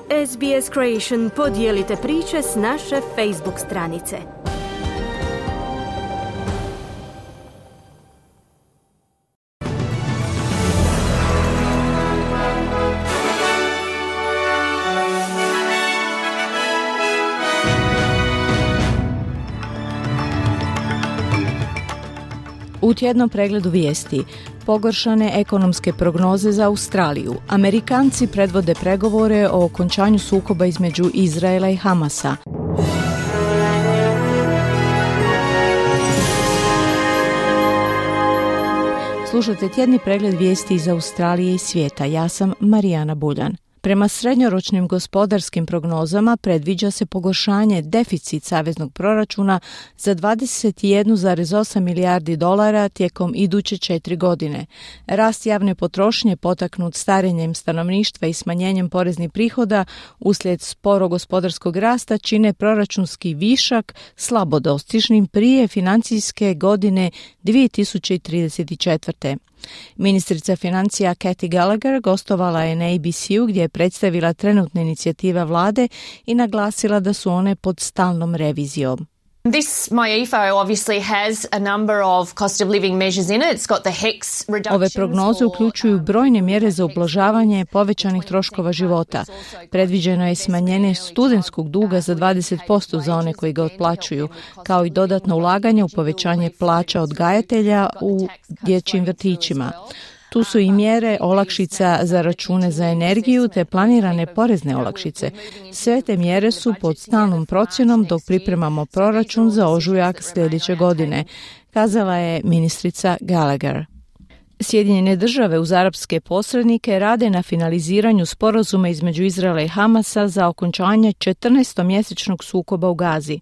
SBS Creation podijelite priče s naše Facebook stranice. U tjednom pregledu vijesti, pogoršane ekonomske prognoze za Australiju. Amerikanci predvode pregovore o okončanju sukoba između Izraela i Hamasa. Slušajte tjedni pregled vijesti iz Australije i svijeta. Ja sam Marijana Buljan. Prema srednjoročnim gospodarskim prognozama predviđa se pogoršanje deficit saveznog proračuna za 21,8 milijardi dolara tijekom iduće 4 godine. Rast javne potrošnje potaknut starenjem stanovništva i smanjenjem poreznih prihoda uslijed sporog gospodarskog rasta čine proračunski višak slabo dostižnim prije financijske godine 2034. Ministrica financija Kathy Gallagher gostovala je na ABC-u gdje je predstavila trenutne inicijative vlade i naglasila da su one pod stalnom revizijom. This MyEFO obviously has a number of cost of living measures in it. It's got the HECS reductions. Ove prognoze uključuju brojne mjere za ublažavanje povećanih troškova života. Predviđeno je smanjenje studentskog duga za 20% za one koji ga otplaćuju, kao i dodatno ulaganje u povećanje plaća odgajatelja u dječjim vrtićima. Tu su i mjere olakšica za račune za energiju te planirane porezne olakšice. Sve te mjere su pod stalnom procjenom dok pripremamo proračun za ožujak sljedeće godine, kazala je ministrica Gallagher. Sjedinjene države uz arapske posrednike rade na finaliziranju sporazuma između Izraela i Hamasa za okončanje 14-mjesečnog sukoba u Gazi.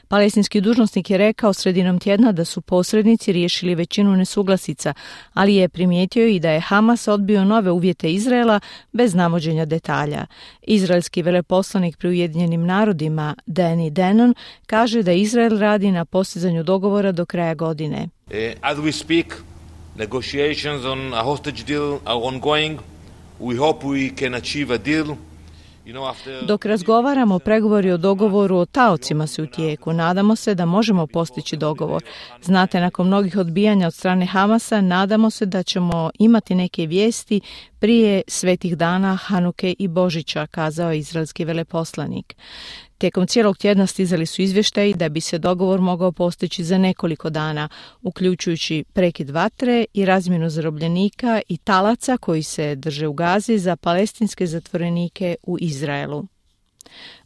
Palestinski dužnosnik je rekao sredinom tjedna da su posrednici riješili većinu nesuglasica, ali je primijetio i da je Hamas odbio nove uvjete Izraela bez navođenja detalja. Izraelski veleposlanik pri Ujedinjenim narodima Danny Danon kaže da Izrael radi na postizanju dogovora do kraja godine. As we speak, negotiations on a hostage deal are ongoing. We hope we can achieve a deal. Dok razgovaramo, pregovori o dogovoru o taocima su u tijeku. Nadamo se da možemo postići dogovor. Znate, nakon mnogih odbijanja od strane Hamasa, nadamo se da ćemo imati neke vijesti prije svetih dana Hanuke i Božića, kazao je izraelski veleposlanik. Tijekom cijelog tjedna stizali su izvještaji da bi se dogovor mogao postići za nekoliko dana, uključujući prekid vatre i razmjenu zarobljenika i talaca koji se drže u Gazi za palestinske zatvorenike u Izraelu.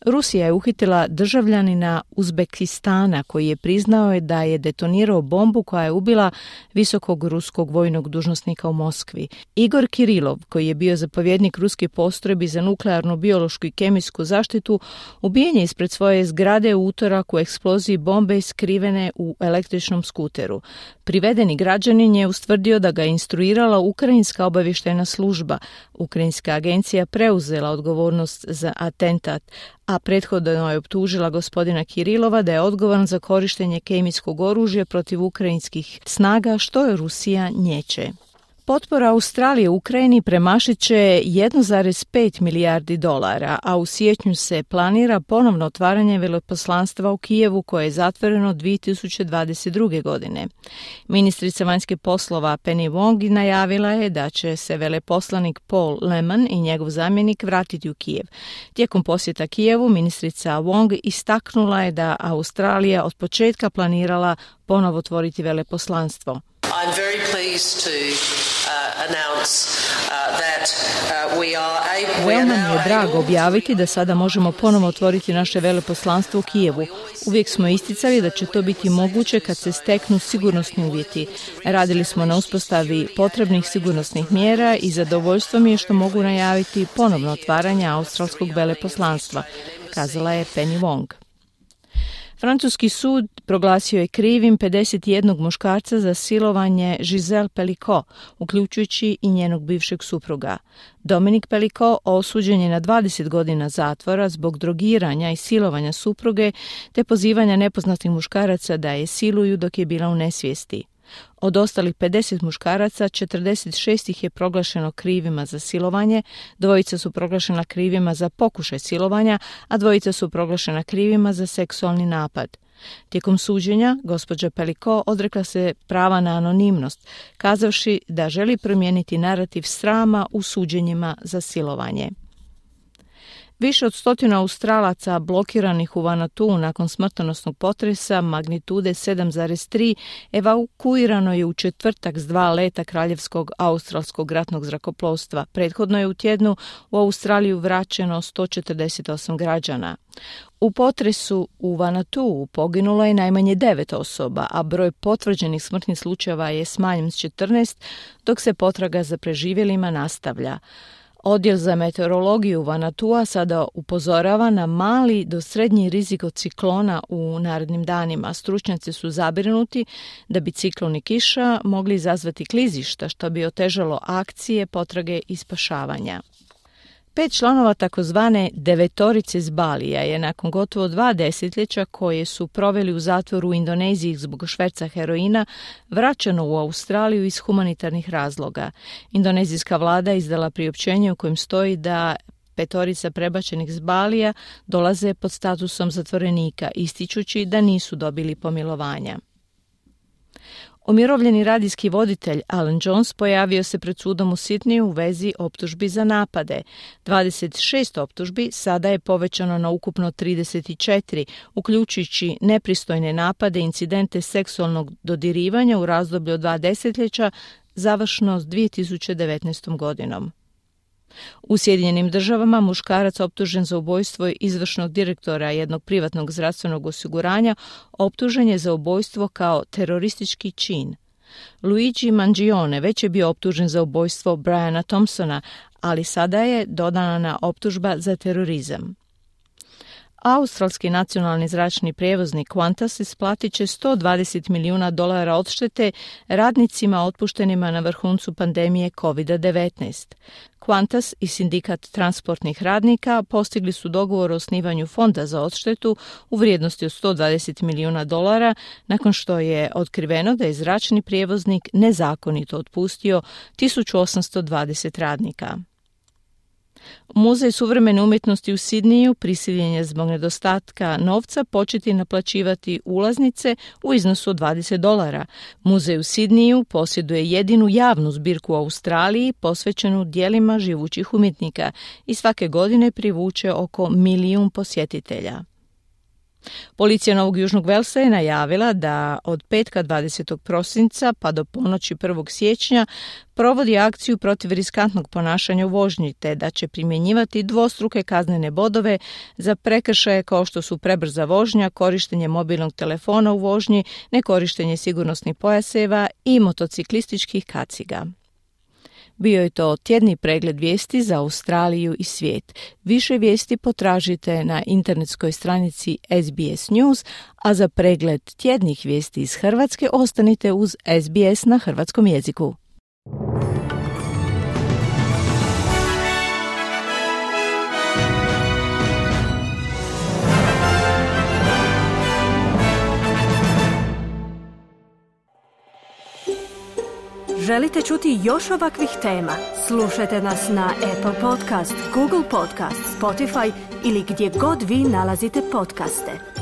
Rusija je uhitila državljanina Uzbekistana koji je priznao da je detonirao bombu koja je ubila visokog ruskog vojnog dužnosnika u Moskvi. Igor Kirilov, koji je bio zapovjednik ruskih postrojbi za nuklearnu, biološku i kemijsku zaštitu, ubijen je ispred svoje zgrade u utorak u eksploziji bombe skrivene u električnom skuteru. Privedeni građanin je ustvrdio da ga je instruirala ukrajinska obavještajna služba. Ukrajinska agencija preuzela odgovornost za atentat, a prethodno je optužila gospodina Kirilova da je odgovoran za korištenje kemijskog oružja protiv ukrajinskih snaga, što je Rusija nječe. Potpora Australije Ukrajini premašit će 1,5 milijardi dolara, a u siječnju se planira ponovno otvaranje veleposlanstva u Kijevu koje je zatvoreno 2022. godine. Ministrica vanjskih poslova Penny Wong najavila je da će se veleposlanik Paul Lehman i njegov zamjenik vratiti u Kijev. Tijekom posjeta Kijevu ministrica Wong istaknula je da Australija od početka planirala ponovo otvoriti veleposlanstvo. I'm very pleased to announce that we are able. Veoma mi je drago objaviti da sada možemo ponovo otvoriti naše veleposlanstvo u Kijevu. Uvijek smo isticali da će to biti moguće kad se steknu sigurnosni uvjeti. Radili smo na uspostavi potrebnih sigurnosnih mjera i zadovoljstvo mi je što mogu najaviti ponovno otvaranje australskog veleposlanstva, kazala je Penny Wong. Francuski sud proglasio je krivim 51 muškarca za silovanje Giselle Pelicot, uključujući i njenog bivšeg supruga. Dominic Pelicot osuđen je na 20 godina zatvora zbog drogiranja i silovanja supruge te pozivanja nepoznatih muškaraca da je siluju dok je bila u nesvijesti. Od ostalih 50 muškaraca, 46 ih je proglašeno krivima za silovanje, 2 su proglašena krivima za pokušaj silovanja, a 2 su proglašena krivima za seksualni napad. Tijekom suđenja, gospođa Pellico odrekla se prava na anonimnost, kazavši da želi promijeniti narativ srama u suđenjima za silovanje. Više od 100 Australaca blokiranih u Vanuatu nakon smrtonosnog potresa magnitude 7,3 evakuirano je u četvrtak s 2 leta Kraljevskog australskog ratnog zrakoplovstva. Prethodno je u tjednu u Australiju vraćeno 148 građana. U potresu u Vanuatu poginulo je najmanje 9 osoba, a broj potvrđenih smrtnih slučajeva je smanjen s 14, dok se potraga za preživjelima nastavlja. Odjel za meteorologiju Vanuatua sada upozorava na mali do srednji rizik od ciklona u narednim danima. Stručnjaci su zabrinuti da bi ciklon i kiša mogli izazvati klizišta, što bi otežalo akcije, potrage i spašavanja. 5 članova takozvane devetorice s Balija je nakon gotovo 2 desetljeća koje su proveli u zatvoru u Indoneziji zbog šverca heroina vraćeno u Australiju iz humanitarnih razloga. Indonezijska vlada izdala priopćenje u kojem stoji da 5 prebačenih s Balija dolaze pod statusom zatvorenika, ističući da nisu dobili pomilovanja. Umirovljeni radijski voditelj Alan Jones pojavio se pred sudom u Sidneyu u vezi optužbi za napade. 26 optužbi sada je povećano na ukupno 34, uključujući nepristojne napade, incidente seksualnog dodirivanja u razdoblju od 2 desetljeća, završno s 2019. godinom. U Sjedinjenim Državama muškarac optužen za ubojstvo izvršnog direktora jednog privatnog zdravstvenog osiguranja optužen je za ubojstvo kao teroristički čin. Luigi Mangione već je bio optužen za ubojstvo Briana Thompsona, ali sada je dodana optužba za terorizam. Australski nacionalni zračni prijevoznik Qantas isplatit će $120 milijuna odštete radnicima otpuštenima na vrhuncu pandemije COVID-19. Qantas i sindikat transportnih radnika postigli su dogovor o osnivanju fonda za odštetu u vrijednosti od $120 milijuna nakon što je otkriveno da je zračni prijevoznik nezakonito otpustio 1820 radnika. Muzej suvremene umjetnosti u Sidneyu prisiljen je zbog nedostatka novca početi naplaćivati ulaznice u iznosu od $20. Muzej u Sidneyu posjeduje jedinu javnu zbirku u Australiji posvećenu djelima živućih umjetnika i svake godine privuče oko 1 milijun posjetitelja. Policija Novog Južnog Velsa je najavila da od petka 20. prosinca pa do ponoći 1. siječnja provodi akciju protiv riskantnog ponašanja u vožnji, te da će primjenjivati dvostruke kaznene bodove za prekršaje kao što su prebrza vožnja, korištenje mobilnog telefona u vožnji, nekorištenje sigurnosnih pojaseva i motociklističkih kaciga. Bio je to tjedni pregled vijesti za Australiju i svijet. Više vijesti potražite na internetskoj stranici SBS News, a za pregled tjednih vijesti iz Hrvatske ostanite uz SBS na hrvatskom jeziku. Želite čuti još ovakvih tema? Slušajte nas na Apple Podcast, Google Podcast, Spotify ili gdje god vi nalazite podcaste.